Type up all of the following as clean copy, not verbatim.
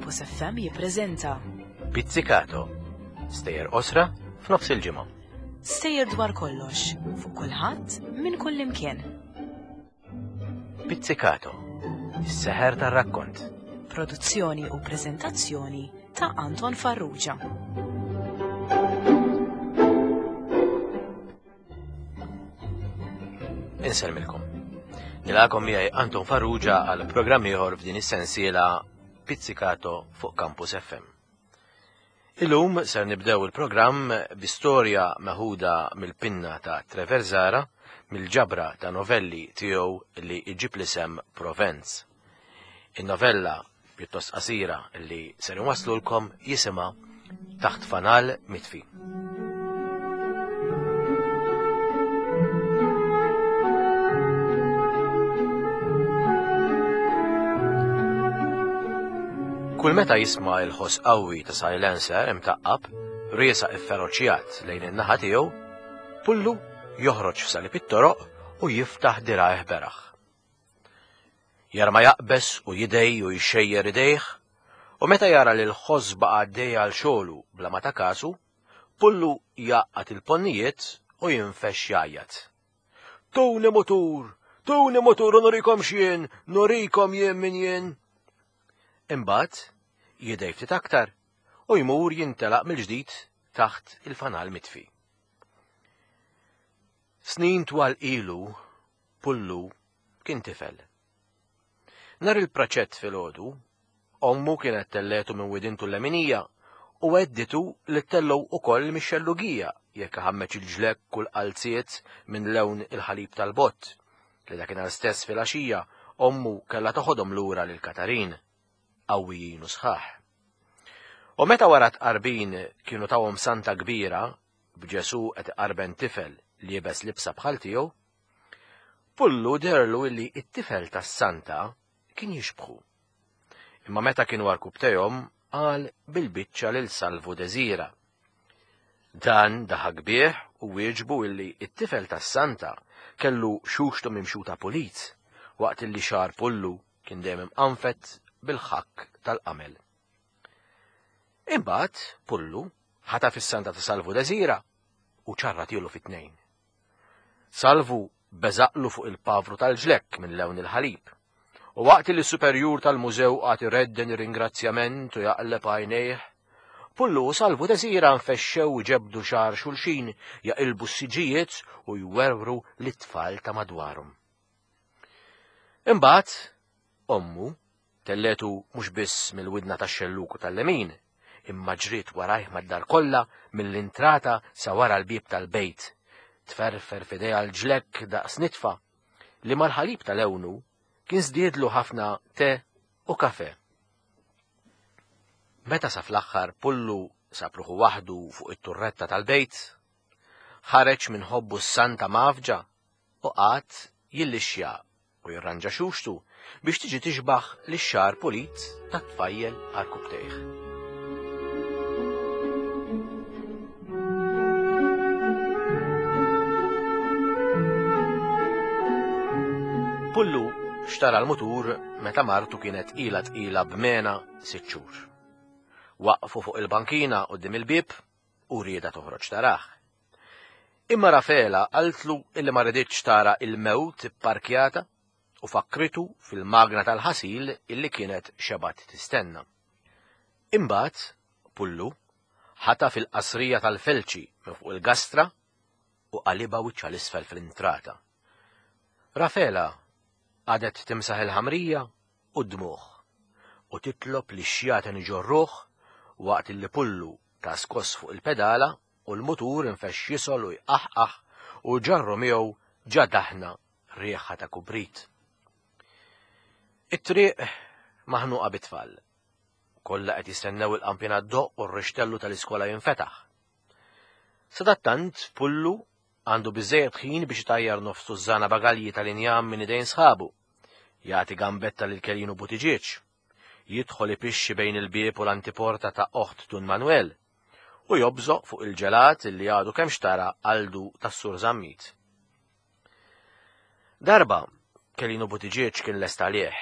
Campus FM jippreżenta Pizzicato, stejjer qosra f'nofs il-ġimgħa. Stejjer dwar kollox, fuq kulħadd, minn kull imkien. Pizzicato, is-seħer tar-rakkont. Produzzjoni u preżentazzjoni ta' Anton Farrugia. Insellmilkom. Nilgħakom miegħi Anton Farrugia għal programm ieħor f'din is-sensiela Pizzicato fuq Campus FM. Illum ser nibdew il-programm bi storja meħuda mill-pinna ta' Trevor Zara mill-ġabra ta' novelli tiegħu li iġib l-isem Provenz. In-novella pjuttost qasira li ser inwasslulkom jisimha Taħt Fanal Mitfi. Kull meta jisma' il-ħoss qawwi ta' silencer imtaqqab, riesaq ifferoċjat lejn in-naħa tiegħu, Pullu joħroġ f'salib it-toroq u jiftaħ dirgħajh beraħ. Jara ma jaqbeż u jidgħi u jxejjer idejh, u meta jara li l-ħoss baqa' għaddej għal xogħlu bla ma ta kasu, Pullu jgħaqqad il-ponnijiet u jinfexx jgħajjat. Tuni mutur! Tuni mutur u nurikom x'jien! Nurikom jien min jien! Imbagħad jidgħi ftit aktar u jmur jintelaq mill-ġdid taħt il-fanal mitfi. Snin twal ilu Pullu kien tifel. Nhar il-praċett filgħodu, ommu kienet telletu minn widintu l-leminija u għedditu li ttellgħu ukoll mix-xellugija jekk iħammeġ il-ġlekk u l-qalziet minn lewn il-ħalib tal-bott, li dakinhar stess filgħaxija ommu kellha toħodhom lura lil Katarin, qawwijin u sħaħ. U meta wara t-tqarbin kienu tawhom santa kbira b'Ġesù qed iqarben tifel liebes libsa bħal tiegħu, Pullu deherlu illi t-tifel tas-santa kien jixbħu. Imma meta kienu għarkupptejhom qal bil-biċċa lil Salvu Desira. Dan daħak bih u wieġbu illi t-tifel tas-santa kellu xuxtu mimxuta pulit waqt illi xagħar Pullu kien dejjem imqanfed bil-ħakk tal-qamel. Imbagħad Pullu ħataf is-santa ta' Salvu Desira u ċarratielu fi tnejn. Salvu beżaqlu fuq il-pavru tal-ġlekk minn lewn il-ħalib. U waqt li s-superjur tal-mużew qagħad iredden ir-ringrazzjament u jaqleb għajnejh, Pullu u Salvu Desira nfexxew iġebbdu xagħar xulxin, jaqilbu s-siġġijiet u jwerwru lit-tfal ta' madwarhom. Imbagħad, ommu Telletu mhux biss mill-widna tax-xellug u tal-lemin, imma ġriet warajh mad-dar kollha mill-intrata sa wara l-bieb tal-bejt, tferfer f'idejha l-ġlekk daqs nitfa li mal-ħalib ta' lewnu kien żdiedlu ħafna te u kafè. Meta sa fl-aħħar Pullu sab ruħu waħdu fuq it-turretta tal-bejt, ħareġ minn ħobbu s-santa mgħaffġa u qagħad jillixxja u jirranġa xuxtu biex tiġi tixbaħ lix-xagħar pulit tat-tfajjel għarkupptejh. Pullu xtara l-mutur meta martu kienet ilha tqila b'mena sitt xhur. Waqfu fuq il-bankina quddiem il-bieb u riedha toħroġ tarah. Imma Rafela qaltlu illi ma riditx tara il-mewt ipparkjata u fakkritu fil-magna tal-ħasil illi kienet xebgħet tistenna. Imbagħad, Pullu, ħataf il-qasrija tal-felċi minn fuq il-gastra u qalibha wiċċha 'l isfel fl-intrata. Rafela qagħdet timsaħ il-ħamrija u d-dmugħ u titlob li x-xjaten iġorruh waqt illi Pullu ta skoss fuq il-pedala u l-mutur infexx jisgħol u jqaħqaħ u ġarru miegħu ġa daħna riħa ta' kubrit. It-triq maħnuqa bit-tfal. Kollha qed jistennew il-qampina ddoqq u r-rixtellu tal-iskola jinfetaħ. Sadattant, Pullu għandu biżżejjed ħin biex itajjar nofs tużżana bagalji tal-injam minn idejn sħabu, jagħti gambetta lil Kelinu Buttigieg, jidħol ipixxi bejn il-bieb u l-antiporta ta' oħt Dun Manwel, u jobżoq fuq il-ġelat li għadu kemm xtara Aldu tas-Sur Zammit. Darba, Kelinu Buttigieg kien lest għalih.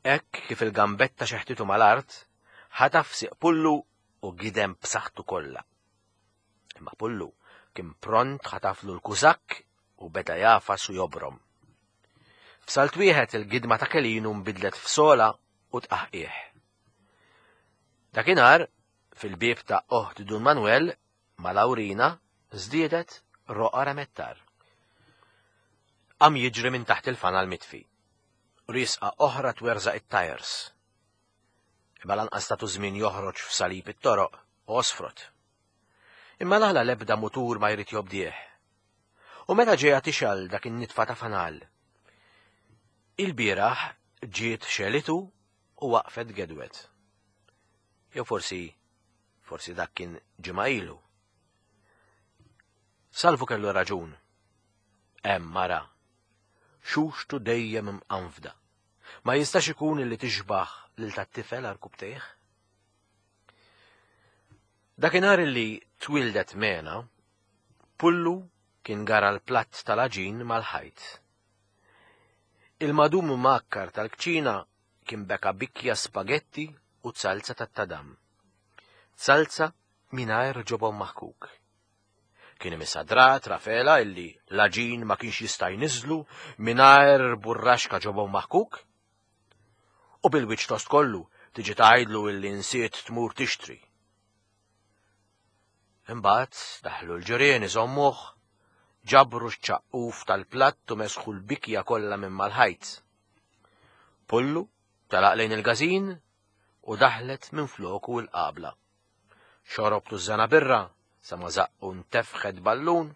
Hekk kif il-gambetta xeħtitu mal-art, ħataf siq Pullu u gidem b'saħħtu kollha. Imma Pullu kien pront ħataflu l-kużakk u beda jagħfas u jobrom. F'salt wieħed il-gidma ta' Kelinu nbidlet f'sola u tqaħqih. Dakinhar, fil-bieb ta' oħt Dun Manuel, ma' Lawrina, żdiedet roqgħa remettar. Qam jiġri minn taħt il-fanal mitfi. Riesqa oħra twerżaq it-tajers. Imma lanqas tatu żmien joħroġ f'salib it-toroq u għosfrot. Imma l-għala l-ebda mutur ma jrid jobdih. U meta ġejja tixgħel dak in-nitfa ta' fanal? Ilbieraħ ġiet xegħlitu u waqfet gedwet. Jew forsi, forsi dak kien ġimgħa ilu. Salvu kellu raġun. Hemm mara. Xuxtu dejjem imqanfda. Ma jistax ikun li tixbaħ lil tat-tifel għarkubtejh? Dakinhar li twildet Mena, Pullu kien gara l-platt tal-għaġin mal-ħajt. Il-madum mgħakkar tal-kċina kien beka bikja spagetti u zalza tat-tadam. Zalza mingħajr ġobon maħkuk. Kien imissha drat Rafela illi l-għaġin ma kienx jista' jniżżlu mingħajr burraxka ġobon maħkuk. U bil-wiċċ tost kollu tiġi tgħidlu illi nsiet tmur tixtri. Imbagħad daħlu l-ġirien iżommuh, ġabru x-ċaqquf tal-platt u mesħu l-bikja kollha minn mal-ħajt. Pullu telaq lejn il-każin u daħlet minn floku l-qabla. Xorob tużżana birra sa ma żaqqu ntefħet ballun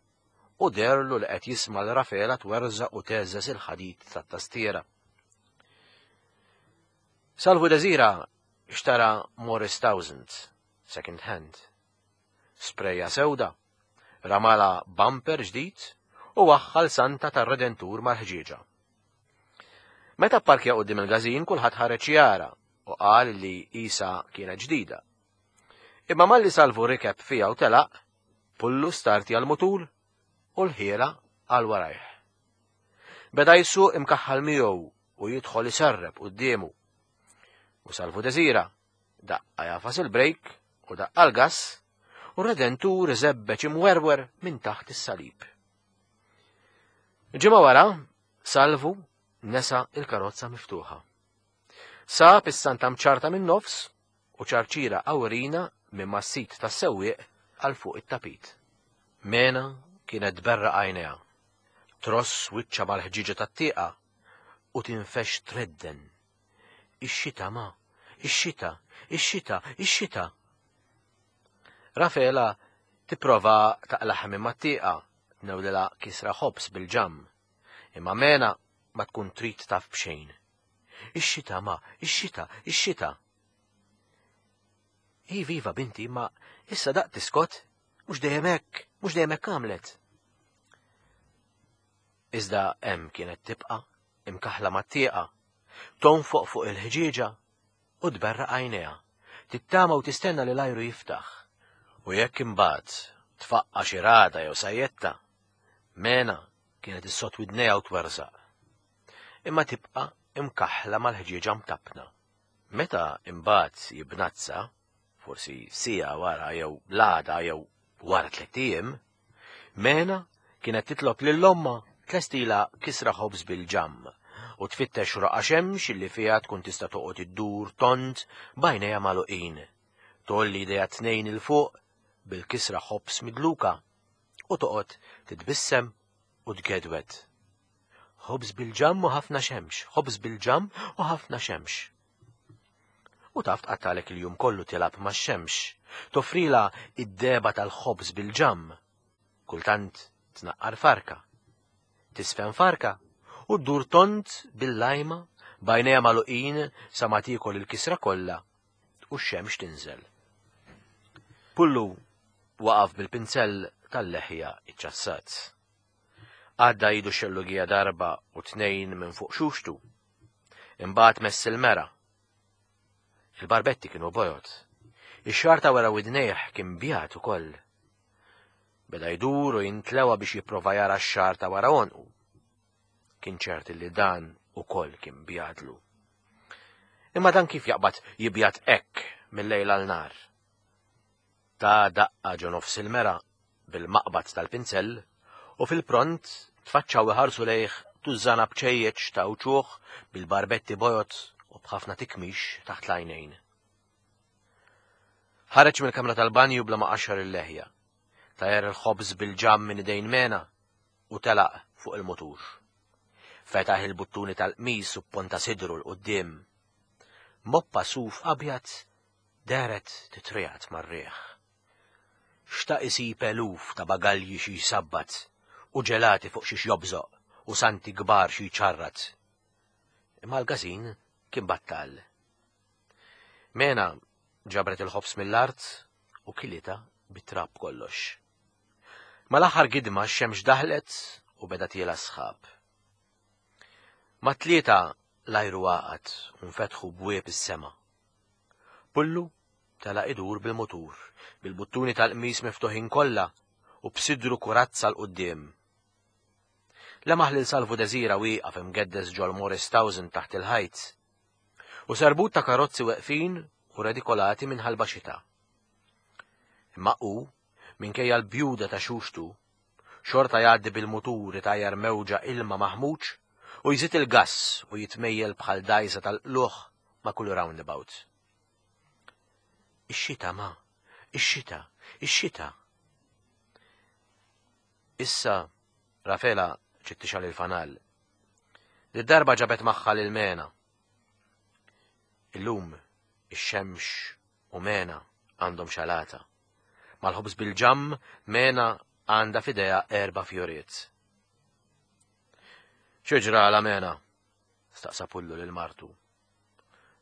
u deherlu li qed jisma' 'l Rafela twerżaq u tgħeżżeż il-ħadid tat-tastiera. Salvu Desira xtara Morris Thousand, second hand. Sprejja sewda, ramalha bumper ġdid u waħħal santa tar-Redentur mal-ħġieġa. Meta pparkja quddiem il-każin kulħadd ħareġ jara u qal li qisha kienet ġdida. Imma malli Salvu rikeb fiha u telaq, Pullu startja l-mutur u l-ħiela għal warajh. Beda jsuq imkaħħal miegħu u jidħol iserrep quddiemu. U Salvu Desira daqqa jagħfas il-brejk u daqqa l-gass u r-Redentur iżebbeġ imwerwer minn taħt is-salib. Ġimgħa wara, Salvu nesa il-karozza miftuħa. Sab is-santa mċarta minn nofs u ċarċira awrina minn mas-sit tas-sewwieq għal fuq it-tapit. Mena kienet tberraq għajnejha, tross wiċċha mal-ħġieġa tat-tieqa u tinfexx tredden. Ix-xita, ma, ix-xita, ix-xita, ix-xita! Rafela tipprova taqlagħha minn mat-tieqa, tnewlilha kisra ħobż bil-ġamm. Imma Mena ma tkun trid taf b'xejn. Ix-xita, ma, ix-xita, ix-xita! Iva, iva, binti, imma issa daqt tiskot, mhux dejjem hekk, mhux dejjem hekk għamlet. Iżda hemm kienet tibqa' imkaħħla mat-tieqa, tonfoq fuq il-ħġieġa u tberraq għajnejha, tittama u tistenna li l-ajru jiftaħ. U jekk imbagħad tfaqqa' xi ragħda jew sajjetta, Mena kienet issott widnejha u twerżaq. Imma tibqa' imkaħħla mal-ħġieġa mtappna. Meta imbagħad jibnazza, forsi siegħa wara jew l-għada jew wara tlett ijiem, Mena kienet titlob lil ommha tlestilha kisra ħobż bil-ġamm u tfittex roqgħa xemx li fiha tkun tista' toqgħod iddur tond b'għajnejha magħluqin, tgħolli idejha t-tnejn 'il fuq bil-kisra ħobż midluka u toqgħod titbissem u tgedwed. Ħobż bil-ġamm u ħafna xemx, ħobż bil-ġamm u ħafna xemx. U taf tqattalek il-jum kollu tilgħab max-xemx, toffrilha id-dehba tal-ħobż bil-ġamm. Kultant tnaqqar farka. Tisfen farka u ddur tond bil-lajma b'għajnejha magħluqin sa ma tiekol il-kisra kollha u x-xemx tinżel. Pullu waqaf bil-pinzell tal-leħja iċċassat. Għadda idu xellugija darba u tnejn minn fuq xuxtu. Imbagħad mess il-mera. Il-barbetti kienu bojod. Ix-xagħar ta' wara widnejh kien bjad ukoll. Beda jdur u jintlewa biex jipprova jara x-xagħar ta' wara għonqu. Kien ċert li dan ukoll kien bjadlu. Imma dan kif jaqbad jibjad hekk mill-lejl għal nhar? Ta daqqa ġo nofs il-mera bil-maqbad tal-pinzell u fil-pront tfaċċaw iħarsu lejh tużżana bċejjeċ ta' uċuħ bil-barbetti bojod u b'ħafna tikmix taħt l-għajnejn. Ħareġ mill-kamra tal-banju bla ma qaxxar il-leħja. Tajer il-ħobż bil-ġamm minn idejn Mena u telaq fuq il-mutur. Fetaħ il-buttuni tal-qmis u pponta sidru 'l quddiem. Moppa suf abjad dehret titriegħed mar-riħ. Xtaq isib eluf ta' bagalji xi jsabbat u ġelati fuq xiex jobżoq u santi kbar xi jċarrat. Imma l-każin kien battal. Mena ġabret il-ħobż mill-art u kilitha bit-trab kollox. Mal-aħħar gidma x-xemx daħlet u beda tiela' s-sħab. Mat-tlieta l-ajru għaqad u nfetħu bwieb is-sema. Pullu telaq idur bil-mutur, bil-buttuni tal-qmis miftuħin kollha u b'sidru kurazza 'l quddiem. Lemaħ lil Salvu Desira wieqaf imgeddes ġol-Morris Towson taħt il-ħajt. U serbut ta' karozzi weqfin u redikolati minn ħalba xita. Imma hu, minkejja l-bjuda ta' xuxtu, xorta jgħaddi bil-mutur itajjar mewġa ilma maħmuġ u jżid il-gass u jitmejjel bħal dgħajsa tal-qlugħ ma' kull roundabout. Ix-xita ma, ix-xita, ix-xita. Issa Rafela ġiet tixgħal il-fanal. Did-darba ġabet magħha lil Mena. Illum ix-xemx u Mena għandhom xalata. Mal-ħobż bil-ġamm Mena għandha f'idejha erba' fjoriet. Xi ġralha Mena? staqsa Pullu lil martu.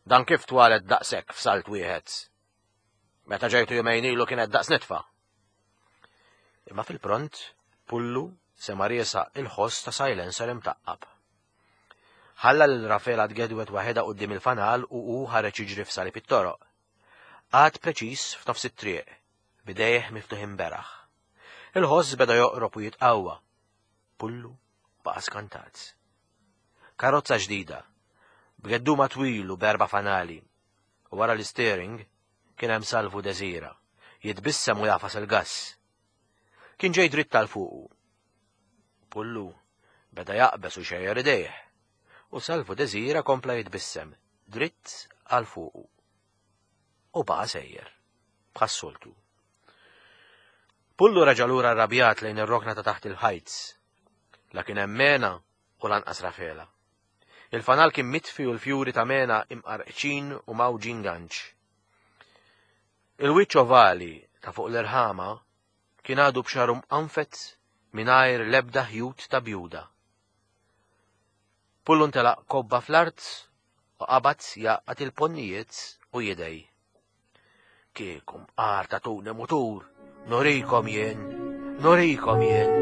Dan kif twalet daqshekk f'salt wieħed? Meta ġejtu jumejn ilu kienet daqs nitfa. Imma fil-pront, Pullu sema' riesaq il-ħoss ta' silencer imtaqqab. Ħalla lil Rafela tgedwed waħedha quddiem il-fanal u hu ħareġ jiġri f'salib it-toroq. Qagħad preċiż f'nofs it-triq, b'idejh miftuħin beraħ. Il-ħoss beda joqrob u jitqawwa. Pullu baqa' skantat. Karozza ġdida, b'gedduma twil u b'erba' fanali, u wara l-isteering kien hemm Salvu Desira, jitbissem u jagħfas il-gass. Kien ġej dritt għal fuqu. Pullu beda jaqbeż u jxejjer idejh, u Salvu Desira kompla jitbissem dritt għal fuqu. U baqa' sejjer, bħas-soltu. Pullu reġa' lura rrabjat lejn ir-rokna ta' taħt il-ħajt. La kien hemm Mena u lanqas Rafela. Il-fanal kien mitfi u l-fjuri ta' Mena imqarqċin u mgħawġin ganċ. Il-wiċċ ovali ta' fuq l-irħama kien għadu b'xagħru mqanfed mingħajr l-ebda ħjut ta' bjuda. Pullu ntelaq kobba fl-art u qabad jgħaqqad il-ponnijiet u jidgħi. Kieku mqar tagħtuni mutur, nurikom jien, nurikom jien.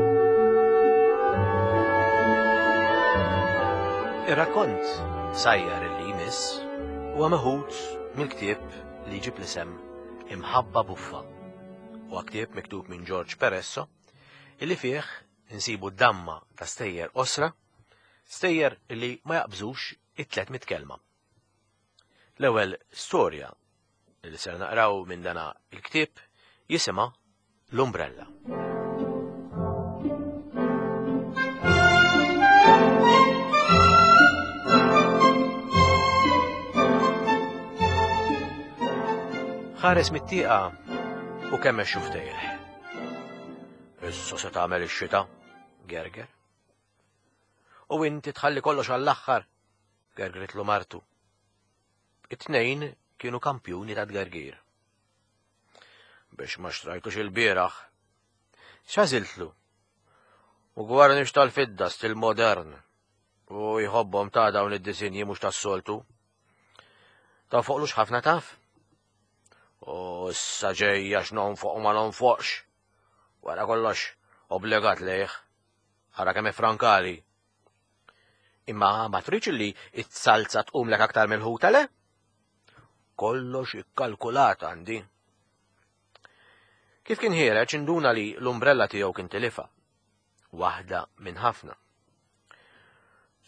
Ir-rakkont sajjar li jmiss huwa meħud mill-ktieb li jġib l-isem Imħabba Buffa. Huwa ktieb miktub minn George Peresso illi fih insibu damma ta' stejjer qosra, stejjer li ma jaqbżux it-300 kelma. L-ewwel storja li ser naqraw minn dana il-ktieb jisimha L-Umbrella. Ħares mit-tieqa u kemm xuftejh. Issa se tagħmel ix-xita, gerger. U inti tħalli kollox għall-aħħar, gergritlu martu. It-tnejn kienu kampjuni ta' tgergir. Biex ma xtrajtux il-bieraħ. X'għażiltlu? U gwarnix tal-fidda stil modern. U jħobbhom ta' dawn id-disinji mhux tas-soltu. Ta' fuqlux ħafna taf? U issa ġejja x'nonfoq u ma nonfoqx. Wara kollox, obbligat lejh. Ara kemm ifrankali. Imma ma tridx li it-salza tqumlek aktar mill-ħuta le? Kollox ikkalkulat għandi. Kif kien ħiereġ induna li l-umbrella tiegħu kien tilifha. Waħda minn ħafna.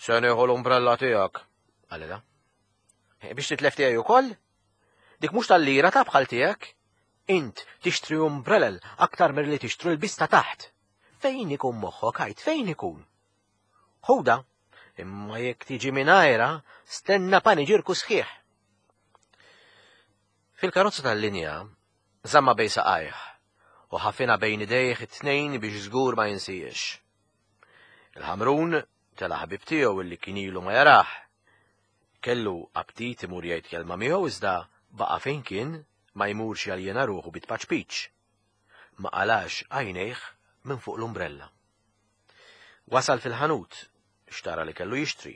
Se nieħu l-umbrella tiegħek, qalilha. Biex titlef tiegħi ukoll? Dik mhux tal-lira ta' bħal tiegħek. Int tixtri umbrelel aktar milli tixtru l-biss ta' taħt. Fejn ikun moħħok għid fejn ikun? Ħuda, imma jekk tiġi mingħajra, stenna paniġirku sħiħ. Fil-karozza tal-linja, żamma bej saqajh u ħafina bejn idejh it-tnejn biex żgur ma jinsijiex. Il-ħamrun tela ħabib tiegħu illi kien ilu ma jarah. Kellu aptit imur jgħid kelma miegħu iżda baqa' fejn kien ma jmurx jaljena ruħu bit-paċpiċ. Ma qalax għajnejh minn fuq l-umbrella. Wasal fil-ħanut, xtara li kellu jixtri.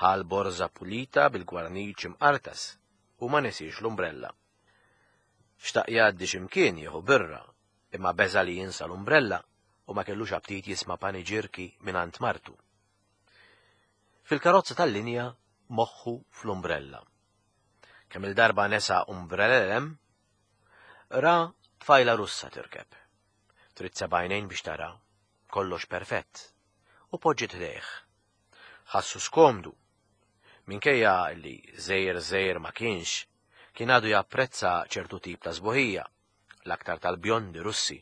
Ħa l-borża pulita bil-gwarniċ imqartas u ma nesiex l-umbrella. Xtaq jgħaddi xi mkien jieħu birra, imma beża' li jinsa l-umbrella u ma kellux aptit jisma' paniġirki mingħand martu. Fil-karozza tal-linja moħħu fl-umbrella. Kemm-il darba nesa umbrellel hemm, ra tfajla Russa tirkeb. Trid sebgħajnejn biex tara, kollox perfett, u poġġiet ħdejh. Ħassu skomdu. Minkejja li żgħir żgħir ma kienx, kien għadu japprezza ċertu tip ta' sbuħija, l-aktar tal-bjondi Russi.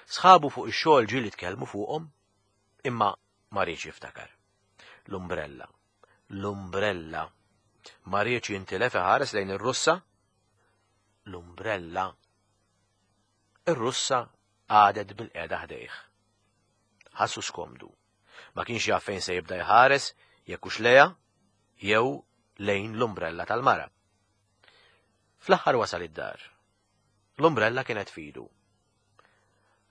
Sħabu fuq ix-xogħol ġieli tkellmu fuqhom, imma ma riedx jiftakar. L-umbrella. L-umbrella. Ma riedx jintilef iħares lejn ir-Russa. L-umbrella. Ir-Russa qagħdet bilqiegħda ħdejh. Ħassu skomdu. Ma kienx jaf fejn se jibda jħares jekk hux lejha jew lejn l-umbrella tal-mara. Fl-aħħar wasal id-dar. L-umbrella kienet f'idu.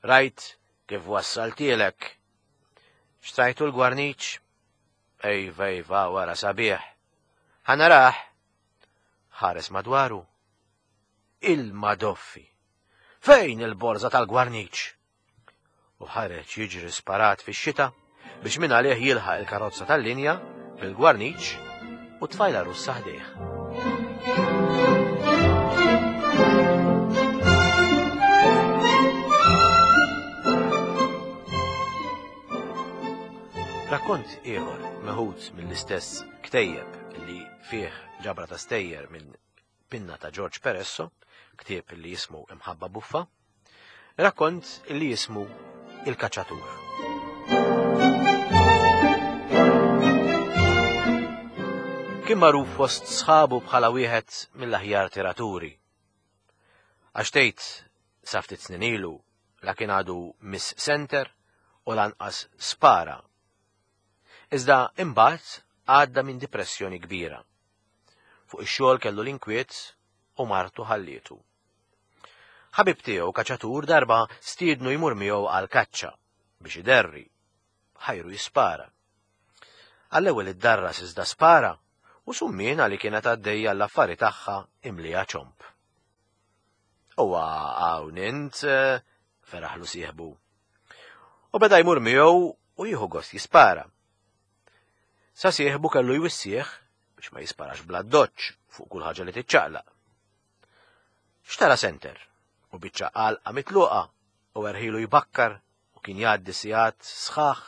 Rajt kif wassaltielek. Xtrajtu l-gwarniċ? Ejva, ejva, wara sabiħ. Ħa narah. Ħares madwaru. Il-madoffi! Fejn il-borża tal-gwarniċ? U ħareġ jiġri sparat fix-xita biex minn għalih jilħaq il-karozza tal-linja bil-gwarniċ u tfajla russa ħdejh. Rakkont ieħor meħud mill-istess ktejjeb li fih ġabra ta' stejjer minn pinna ta' George Peresso, ktieb li jismu Imħabba Buffa, rakkont li jismu Il-Kaċċatur. Kien magħruf fost sħabu bħala wieħed mill-aħjar tiraturi. Għax tgħid sa ftit snin ilu la kien għadu Miss Center u lanqas spara. Iżda imbagħad għadda minn dipressjoni kbira. Fuq ix-xogħol kellu l-inkwiet u martu ħallietu. Ħabib tiegħu kaċatur darba stiednu jmur miegħu għal kaċċa biex iderri, ħajru jispara. Għall-ewwel iddarras iżda spara u summiena li kienet għaddejja l-affari tagħha imlija ċomp. Huwa hawn int, eh, feraħlu sieħbu. U beda jmur miegħu u jieħu gost jispara. Sa sieħbu kellu jwissih biex ma jisparax bla doċ fuq kull ħaġa li tiċċaqlaq. Xtara senter u biċċa għalqa mitluqa u erħilu jbakkar u kien jgħaddi sigħat sħaħ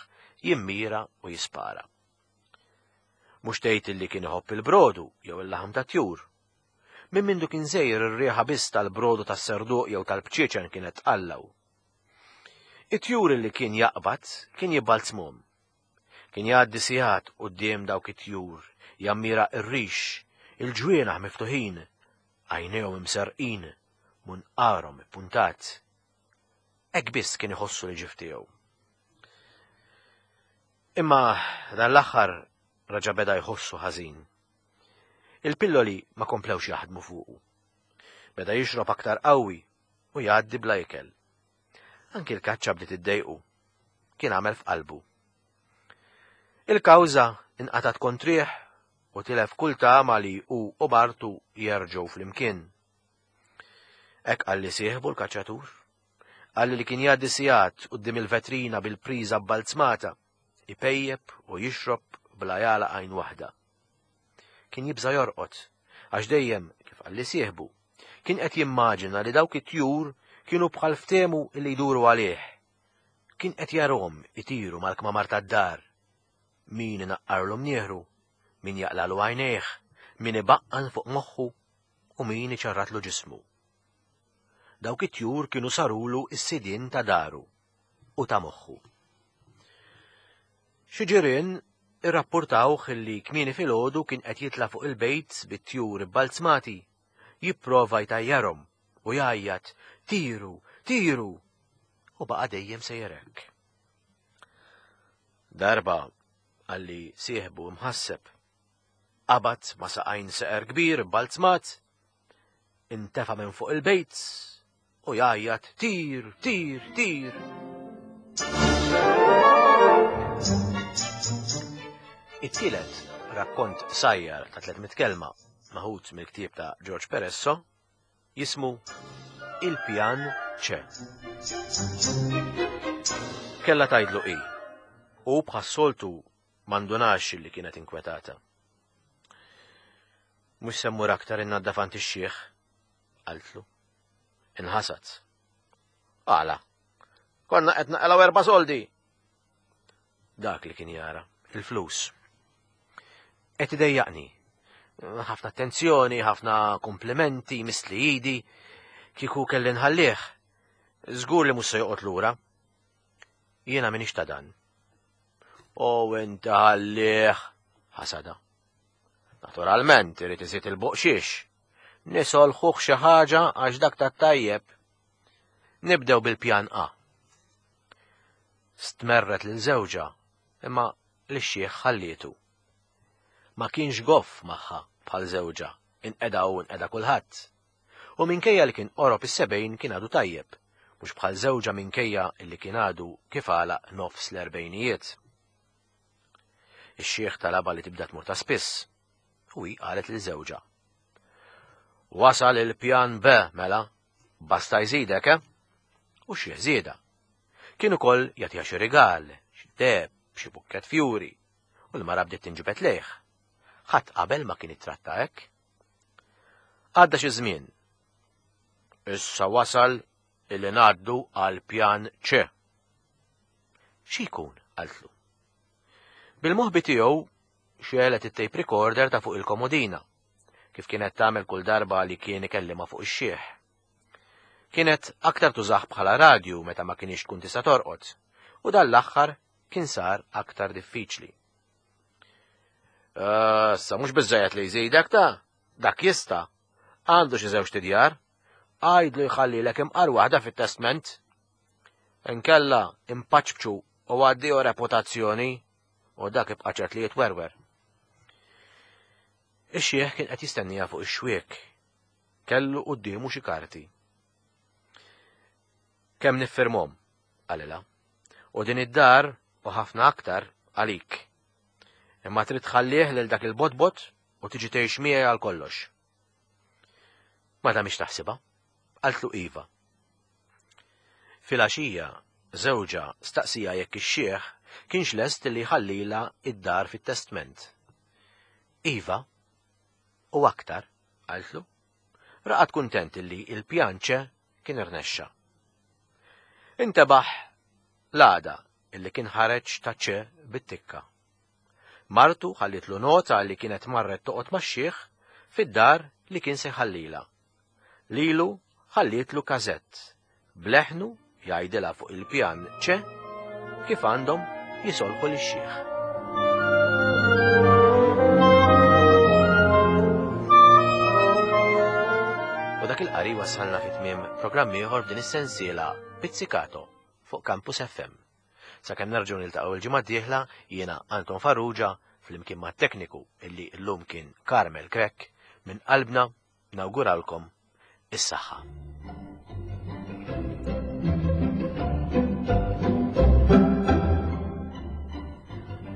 jimmira u jispara. Mhux tgħid illi kien iħobb il-brodu jew il-laħam ta' tjur. Minn mindu kien żejr ir-riħa biss tal-brodu tas-serduq jew tal-bċieċen kienet tqallaw. It-tjur li kien jaqbad kien jibbalzmhom. Kien jgħaddi sigħat quddiem dawk it-tjur, jammira r-rix, il-ġwienaħ miftuħin, għajnejhom imserrqin, munqarhom ippuntat. Hekk biss kien iħossu li ġie f'tiegħu. Imma dan l-aħħar raġa' beda jħossu ħażin. Il-pilloli ma komplewx jaħdmu fuqu. Beda jixrob aktar qawwi u jgħaddi bla ikel. Anki l-kaċċa bdiet iddejqu. Kien għamel f'qalbu. Il-kawża inqatgħet kontrih u tilef kull tama li hu u martu jerġgħu flimkien. Hekk qalli sieħbu l-kaċċatur. Qalli li kien jgħaddi sigħat quddiem il-vetrina bil-priża bbalzmata, ipejjep u jixrob bla jagħlaq għajn waħda. Kien jibża' jorqod, għax dejjem, kif qalli sieħbu, kien qed jimmaġina li dawk it-tjur kienu bħal ftehmu li jduru għalih. Kien qed jarahom itiru mal-kmamar tad-dar. Min inaqqarlu mnieħru, min jaqlalu għajnejh, Min ibaqqan fuq moħħu u min iċarratlu ġismu. Dawk it-tjur kienu sarulu s-sidien ta' daru u ta' moħħu. Xi ġirien irrappurtawh li kmieni filgħodu kien qed jitla' fuq il-bejt bit-tjur ibbalzmati, jipprova jtajjarhom u jgħajjat tiru, tiru! U baqa' dejjem sejjer hekk. Darba qalli sieħbu mħasseb. Qabad ma' saqajn seqer kbir ibbalzmat, intefa' minn fuq il-bejt u jgħajjat tir, tir, tir. It-tielet rakkont sajjar ta' 300 kelma maħud mill-ktieb ta' George Peresso jismu Il-Pjan C. Kella tajdlu i. U bħas-soltu mandunax li kienet inkwetata. Mhux se mmur aktar innaddaf għand ix-xiħ, qaltlu. Inħasad. Għala. Konna qed naqalgħu erba' soldi. Dak li kien jara, il-flus. Qed idejjaqni. Ħafna attenzjoni, ħafna komplimenti, mistli idi, kieku kelli nħallih. Żgur li mhux se joqgħod lura. Jiena minix ta' dan. O inta ħallih, ħasada. Naturalment, irid iżid il-boqxiex. Nisolħuh xi ħaġa għax dak tat-tajjeb. Nibdew bil-pjan A. Stmerret lil żewġha, imma lix-xiħ ħallietu. Ma kienx goff magħha bħal żewġha, inqeda u inqeda kulħadd. U minkejja li kien qorob is-sebgħin kien għadu tajjeb, mhux bħal żewġha minkejja li kien għadu kif għalaq nofs l-erbgħinijiet. Ix-xiħ talabha li tibda tmur ta' spiss, u hi qalet lil żewġha. Wasal il-pjan B, mela, basta jżidek, eh? U x-xiħ żiedha. Kien ukoll jagħtiha xi rigal, xi deheb, xi bukkett fjuri, u l-mara bdiet tinġibed lejh. Ħadd qabel ma kien ittratta hekk. Għadda xi żmien. Issa wasal illi ngħaddu għal pjan C. Xi jkun? qaltlu. Bil-moħbi tiegħu xegħlet it-tape recorder ta' fuq il-komodina, kif kienet tagħmel kull darba li kien ikellimha fuq ix-xiħ. Kienet aktar tużah bħala radju meta ma kienx tkun tista' torqod, u dan l-aħħar kien sar aktar diffiċli. Issa mhux biżżejjed li jżidek ta' dak jista' għandu xi żewġ tidjar, għajdlu jħallilek imqar waħda fit-testment. Inkella impaċċu u għaddio reputazzjoni u dak ibqa' ċert li jitwerwer. Ix-xiħ kien qed jistennija fuq ix-xwiek. Kellu quddiemu xi karti. Kemm niffirmhom, qalilha. U din id-dar u ħafna aktar għalik. Imma trid tħallih lil dak il-botbot u tiġi tgħix miegħi għal kollox. Ma damiex taħsibha. Qaltlu iva. Filgħaxija, żewġha staqsieha jekk ix-xiħ kienx lest li jħallilha id-dar fit-testment. Iva, u aktar, qaltlu. Raqad kuntent li il-pjan ċe kien irnexxa. Intebaħ l-għada illi kien ħareġ ta' ċe bit-tikka. Martu ħallitlu nota li kienet marret toqgħod max-xiħ fid-dar li kien se jħallilha. Lilu ħallietlu każett b'leħnu jgħidilha fuq il-pjan ċe kif għandhom jisolħu lix-xiħ. U dak il-qari wassalna fi tmiem programm ieħor f'din is-sensiela Pizzicato fuq Campus FM. Sakemm nerġgħu niltaqgħu l-ġimgħa d-dieħla jiena Anton Farrugia flimkien mat-tekniku illi llum kien Carmel Grech minn qalbna nawguralkom is-saħħa.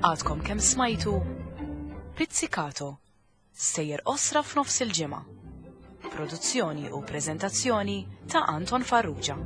Għadkom kemm smajtu Pizzicato, sejjer osra f'nofs il-ġimgħa. Produzzjoni u preżentazzjoni ta' Anton Farrugia.